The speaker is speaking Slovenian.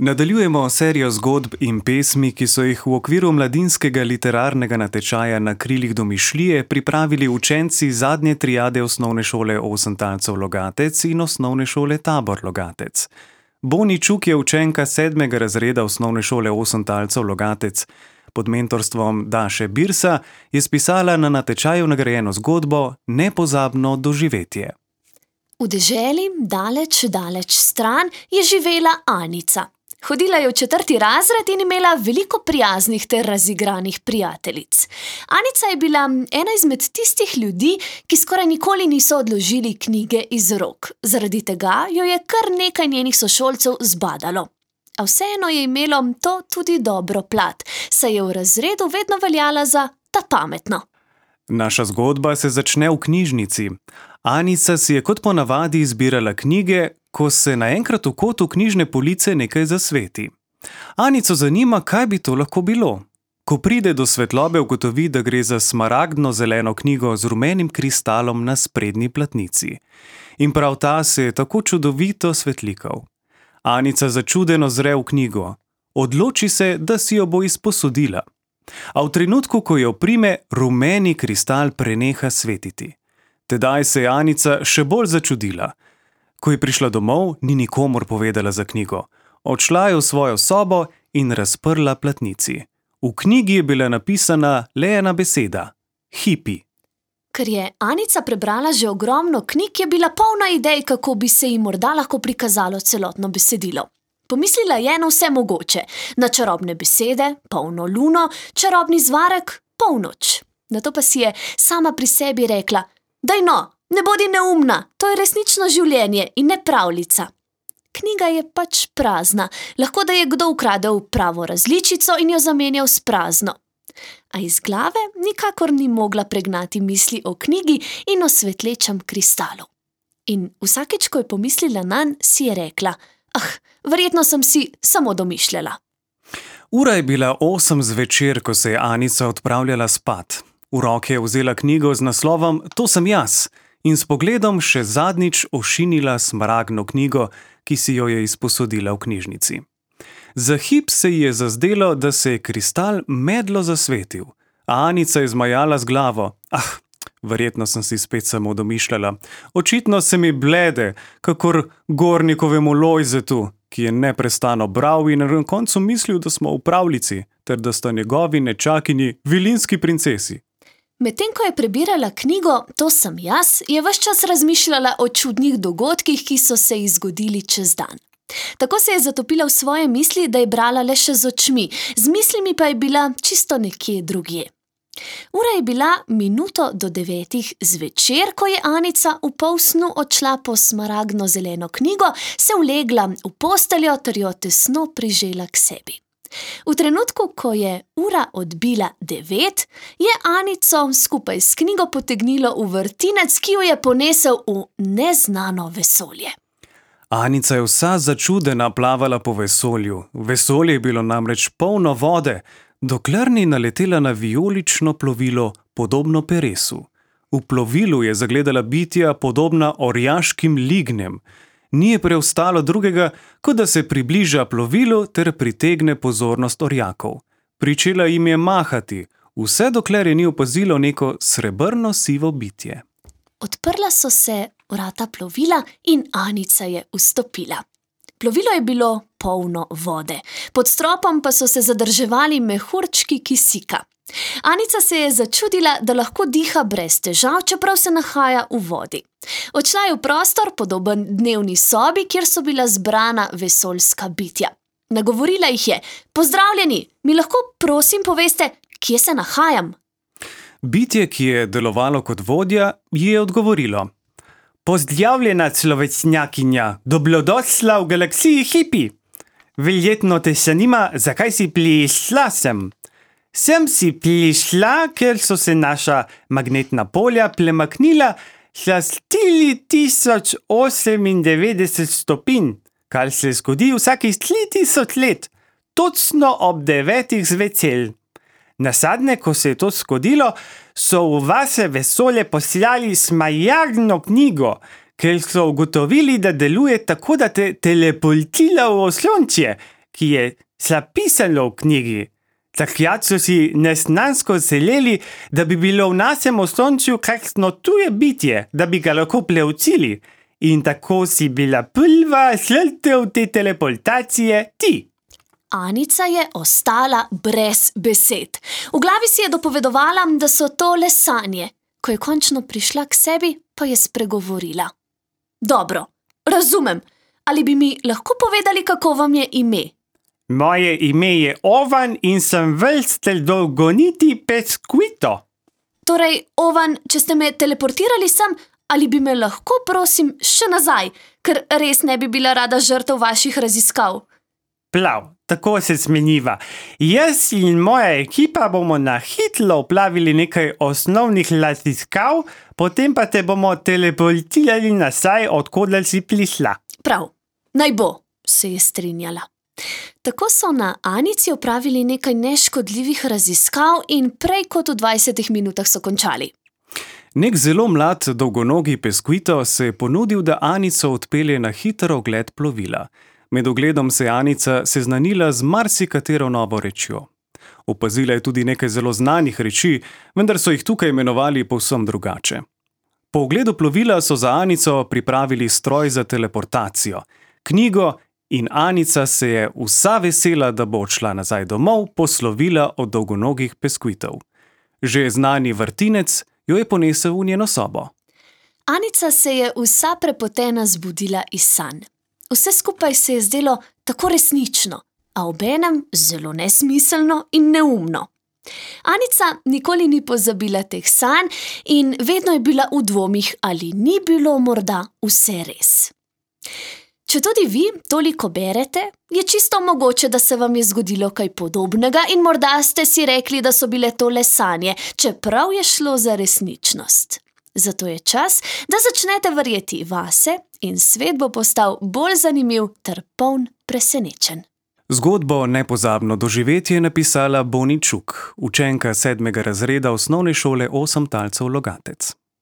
Nadaljujemo serijo zgodb in pesmi, ki so jih v okviru mladinskega literarnega natečaja Na krilih domišljije pripravili učenci zadnje triade osnovne šole Osentalcev Logatec in osnovne šole Tabor Logatec. Boni Čuk je učenka 7. razreda osnovne šole Osentalcev Logatec. Pod mentorstvom Daše Birsa je spisala na natečaju nagrajeno zgodbo Nepozabno doživetje. V deželi, daleč stran, je živela Anica. Hodila je v 4. razred in imela veliko prijaznih ter razigranih prijateljic. Anica je bila ena izmed tistih ljudi, ki skoraj nikoli niso odložili knjige iz rok. Zaradi tega jo je kar nekaj njenih sošolcev zbadalo. A vseeno je imelo to tudi dobro plat, saj je v razredu vedno veljala za ta pametno. Naša zgodba se začne v knjižnici. Anica si je kot ponavadi izbirala knjige, ko se naenkrat v kotu knjižne police nekaj zasveti. Anico zanima, kaj bi to lahko bilo. Ko pride do svetlobe, ugotovi, da gre za smaragdno-zeleno knjigo z rumenim kristalom na sprednji platnici. In prav ta se je tako čudovito svetlikal. Anica začudeno zre v knjigo. Odloči se, da si jo bo izposodila. A v trenutku, ko jo prime, rumeni kristal preneha svetiti. Tedaj se je Anica še bolj začudila. Ko je prišla domov, ni nikomur povedala za knjigo. Odšla je v svojo sobo in razprla platnici. V knjigi je bila napisana le ena beseda – hipi. Ker je Anica prebrala že ogromno knjig, je bila polna idej, kako bi se ji morda lahko prikazalo celotno besedilo. Pomislila je na vse mogoče, na čarobne besede, polno luno, čarobni zvarek, polnoč. Nato pa si je sama pri sebi rekla: "Daj no, ne bodi neumna, to je resnično življenje in ne pravljica." Knjiga je pač prazna, lahko da je kdo ukradel pravo različico in jo zamenjal s prazno. A iz glave nikakor ni mogla pregnati misli o knjigi in o svetlečem kristalu. In vsakič, ko je pomislila nanj, si je rekla: verjetno sem si samo domišljala. Ura je bila 8 zvečer, ko se je Anica odpravljala spat. V roke je vzela knjigo z naslovom To sem jaz in s pogledom še zadnjič ošinila smaragdno knjigo, ki si jo je izposodila v knjižnici. Za hip se ji je zazdelo, da se je kristal medlo zasvetil. A Anica je zmajala z glavo. Verjetno sem si spet samo domišljala. Očitno se mi blede, kakor Gornikovemu Lojzetu, ki je neprestano bral in na koncu mislil, da smo v pravljici, ter da sta njegovi nečakinji vilinski princesi. Medtem ko je prebirala knjigo To sem jaz, je ves čas razmišljala o čudnih dogodkih, ki so se ji zgodili čez dan. Tako se je zatopila v svoje misli, da je brala le še z očmi, z mislimi pa je bila čisto nekje drugje. Ura je bila 8:55 zvečer, ko je Anica v polsnu odšla po smaragdno-zeleno knjigo, se ulegla v posteljo ter jo tesno prižela k sebi. V trenutku, ko je ura odbila 9, je Anico skupaj s knjigo potegnilo v vrtinec, ki jo je ponesel v neznano vesolje. Anica je vsa začudena plavala po vesolju. Vesolje je bilo namreč polno vode, dokler ni naletela na vijolično plovilo, podobno peresu. V plovilu je zagledala bitja, podobna orjaškim lignjem. Ni je preostalo drugega, kot da se približa plovilu ter pritegne pozornost orjakov. Pričela jim je mahati, vse dokler je ni opazilo neko srebrno sivo bitje. Odprla so se vrata plovila in Anica je vstopila. Plovilo je bilo polno vode, pod stropom pa so se zadrževali mehurčki kisika. Anica se je začudila, da lahko diha brez težav, čeprav se nahaja v vodi. Odšla je v prostor, podoben dnevni sobi, kjer so bila zbrana vesoljska bitja. Nagovorila jih je: "Pozdravljeni, mi lahko prosim poveste, kje se nahajam?" Bitje, ki je delovalo kot vodja, ji je odgovorilo: "Pozdravljena, človečnjakinja, dobrodošla v galaksiji hipi. Verjetno te zanima, zakaj si prišla sem. Sem si prišla, ker so se naša magnetna polja premaknila za 4098 stopinj, kar se zgodi vsakih 3000 let, točno ob 9 zvečer. Nazadnje, ko se je to zgodilo, so v vaše vesolje poslali smaragdno knjigo, ker so ugotovili, da deluje tako, da te teleportira v osončje, ki je zapisano v knjigi. Takrat so si neznansko želeli, da bi bilo v našem osončju kakšno tuje bitje, da bi ga lahko preučili. In tako si bila prva žrtev te teleportacije ti. Anica je ostala brez besed. V glavi si je dopovedovala, da so to le sanje. Ko je končno prišla k sebi, pa je spregovorila. Dobro, razumem. Ali bi mi lahko povedali, kako vam je ime? Moje ime je Ovan in sem vrstelj dolgoniti Pesquito. Torej, Ovan, če ste me teleportirali sem, ali bi me lahko, prosim, še nazaj, ker res ne bi bila rada žrtev vaših raziskav. Prav, tako se smeniva. Jaz in moja ekipa bomo na hitro opravili nekaj osnovnih raziskav, potem pa te bomo teleportirali nazaj, odkoder si prišla. Prav, naj bo, se je strinjala. Tako so na Anici opravili nekaj neškodljivih raziskav in prej kot v 20 minutah so končali. Nek zelo mlad, dolgonogi Pesquito se je ponudil, da Anico odpelje na hiter ogled plovila. Med ogledom se je Anica seznanila z marsikatero novo rečjo. Opazila je tudi nekaj zelo znanih reči, vendar so jih tukaj imenovali povsem drugače. Po ogledu plovila so za Anico pripravili stroj za teleportacijo, knjigo, in Anica se je vsa vesela, da bo odšla nazaj domov, poslovila od dolgonogih Pesquitov. Že znani vrtinec jo je ponesel v njeno sobo. Anica se je vsa prepotena zbudila iz sanj. Vse skupaj se je zdelo tako resnično, a obenem zelo nesmiselno in neumno. Anica nikoli ni pozabila teh sanj in vedno je bila v dvomih, ali ni bilo morda vse res. Če tudi vi toliko berete, je čisto mogoče, da se vam je zgodilo kaj podobnega in morda ste si rekli, da so bile to le sanje, čeprav je šlo za resničnost. Zato je čas, da začnete verjeti vase in svet bo postal bolj zanimiv ter poln presenečenj. Zgodbo Nepozabno doživetje je napisala Boni Čuk, učenka 7. razreda osnovne šole 8 Talcev Logatec.